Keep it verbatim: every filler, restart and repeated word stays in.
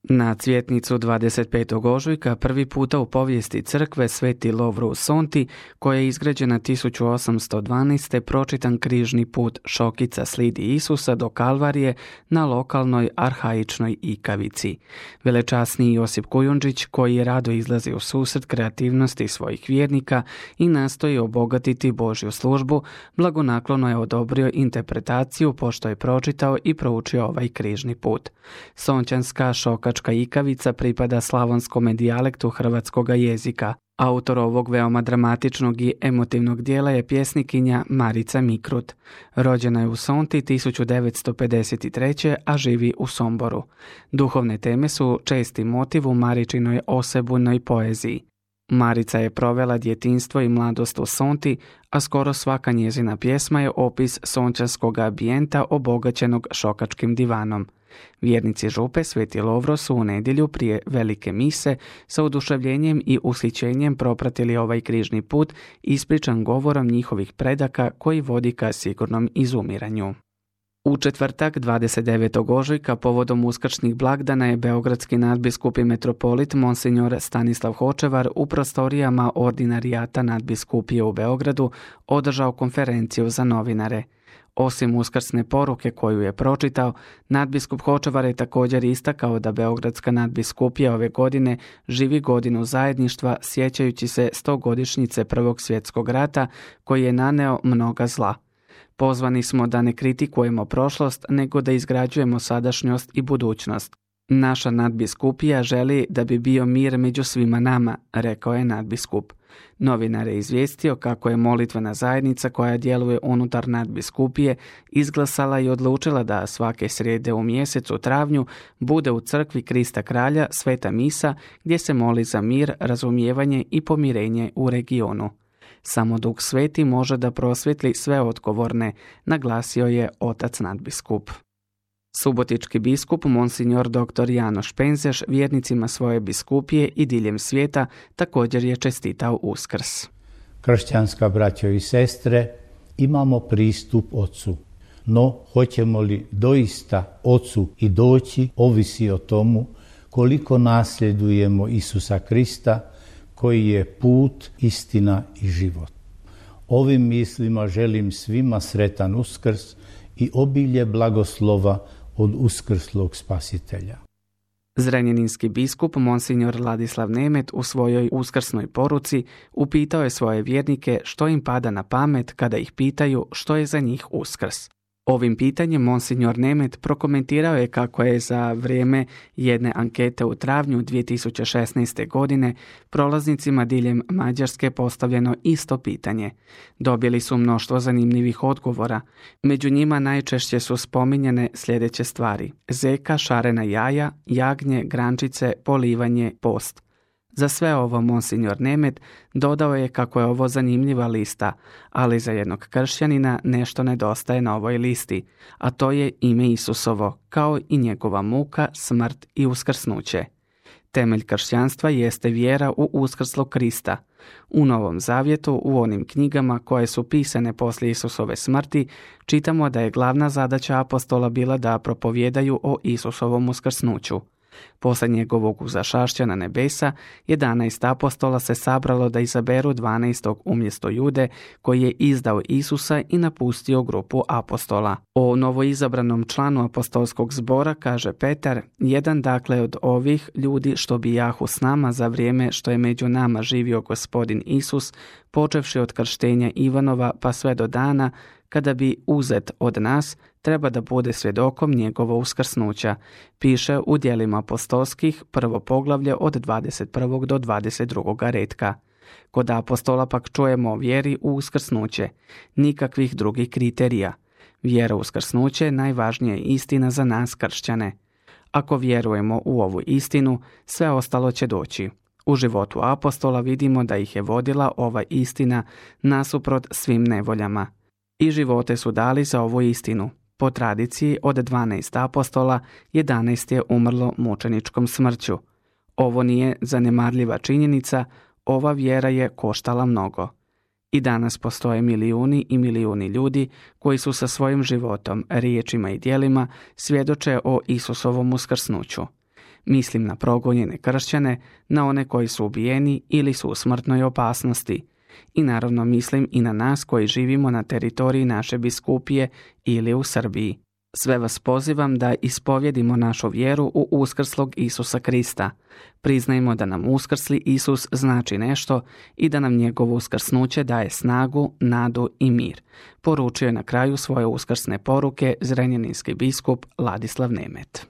Na cvjetnicu dvadeset petog ožujka prvi puta u povijesti crkve Sveti Lovro u Sonti, koja je izgrađena tisuću osamsto dvanaeste. pročitan križni put Šokica slidi Isusa do Kalvarije na lokalnoj arhaičnoj ikavici. Velečasni Josip Kujundžić, koji je rado izlazi u susret kreativnosti svojih vjernika i nastoji obogatiti Božju službu, blagonaklono je odobrio interpretaciju pošto je pročitao i proučio ovaj križni put. Sončanska šoka ikavica pripada slavonskom dijalektu hrvatskog jezika. Autor ovog veoma dramatičnog i emotivnog dijela je pjesnikinja Marica Mikrut. Rođena je u Sonti tisuću devetsto pedeset treće. a živi u Somboru. Duhovne teme su česti motiv u Maričinoj osebujnoj poeziji. Marica je provela djetinjstvo i mladost u Sonti, a skoro svaka njezina pjesma je opis sončanskog ambijenta obogaćenog šokačkim divanom. Vjernici župe Sveti Lovro su u nedjelju prije velike mise sa oduševljenjem i ushićenjem propratili ovaj križni put ispričan govorom njihovih predaka koji vodi ka sigurnom izumiranju. U četvrtak dvadeset devetog ožujka povodom uskršnjih blagdana je beogradski nadbiskup i metropolit Monsignor Stanislav Hočevar u prostorijama ordinarijata nadbiskupije u Beogradu održao konferenciju za novinare. Osim uskrsne poruke koju je pročitao, nadbiskup Hočevar je također istakao da beogradska nadbiskupija ove godine živi godinu zajedništva sjećajući se stogodišnjice Prvog svjetskog rata koji je naneo mnoga zla. Pozvani smo da ne kritikujemo prošlost, nego da izgrađujemo sadašnjost i budućnost. Naša nadbiskupija želi da bi bio mir među svima nama, rekao je nadbiskup. Novinar je izvijestio kako je molitvena zajednica koja djeluje unutar nadbiskupije izglasala i odlučila da svake srijede u mjesecu travnju bude u crkvi Krista Kralja sveta misa gdje se moli za mir, razumijevanje i pomirenje u regionu. Samo Duh Sveti može da prosvjetli sve odgovorne, naglasio je otac nadbiskup. Subotički biskup Monsignor doktor Janoš Penzeš vjernicima svoje biskupije i diljem svijeta također je čestitao Uskrs. Kršćanska braćo i sestre, imamo pristup Ocu, no hoćemo li doista Ocu i doći ovisi o tomu koliko nasljedujemo Isusa Krista koji je put, istina i život. Ovim mislima želim svima sretan Uskrs i obilje blagoslova od uskrslog Spasitelja. Zrenjaninski biskup Monsignor Ladislav Nemet u svojoj uskrsnoj poruci upitao je svoje vjernike što im pada na pamet kada ih pitaju što je za njih Uskrs. Ovim pitanjem Monsignor Nemet prokomentirao je kako je za vrijeme jedne ankete u travnju dvije tisuće šesnaeste. godine prolaznicima diljem Mađarske postavljeno isto pitanje. Dobili su mnoštvo zanimljivih odgovora. Među njima najčešće su spominjane sljedeće stvari: zeka, šarena jaja, jagnje, grančice, polivanje, post. Za sve ovo Monsignor Nemet dodao je kako je ovo zanimljiva lista, ali za jednog kršćanina nešto nedostaje na ovoj listi, a to je ime Isusovo, kao i njegova muka, smrt i uskrsnuće. Temelj kršćanstva jeste vjera u uskrslog Krista. U Novom Zavjetu, u onim knjigama koje su pisane poslije Isusove smrti, čitamo da je glavna zadaća apostola bila da propovijedaju o Isusovom uskrsnuću. Poslije njegovog uzašašća na nebesa, jedanaest apostola se sabralo da izaberu dvanaestog umjesto Jude, koji je izdao Isusa i napustio grupu apostola. O novoizabranom članu apostolskog zbora kaže Petar: jedan dakle od ovih ljudi što bijahu s nama za vrijeme što je među nama živio Gospodin Isus, počevši od krštenja Ivanova pa sve do dana kada bi uzet od nas, treba da bude svjedokom njegovo uskrsnuća, piše u djelima apostolskih, prvo poglavlje od dvadeset prvog do dvadeset drugog retka. Kod apostola pak čujemo o vjeri u uskrsnuće, nikakvih drugih kriterija. Vjera u uskrsnuće je najvažnija istina za nas kršćane. Ako vjerujemo u ovu istinu, sve ostalo će doći. U životu apostola vidimo da ih je vodila ova istina nasuprot svim nevoljama. I živote su dali za ovu istinu. Po tradiciji od dvanaest apostola, jedanaest je umrlo mučeničkom smrću. Ovo nije zanemarljiva činjenica, ova vjera je koštala mnogo. I danas postoje milijuni i milijuni ljudi koji su sa svojim životom, riječima i djelima svjedoče o Isusovom uskrsnuću. Mislim na progonjene kršćane, na one koji su ubijeni ili su u smrtnoj opasnosti. I naravno mislim i na nas koji živimo na teritoriji naše biskupije ili u Srbiji. Sve vas pozivam da ispovjedimo našu vjeru u uskrslog Isusa Krista. Priznajmo da nam uskrsli Isus znači nešto i da nam njegovo uskrsnuće daje snagu, nadu i mir. Poručio je na kraju svoje uskrsne poruke zrenjaninski biskup Ladislav Nemet.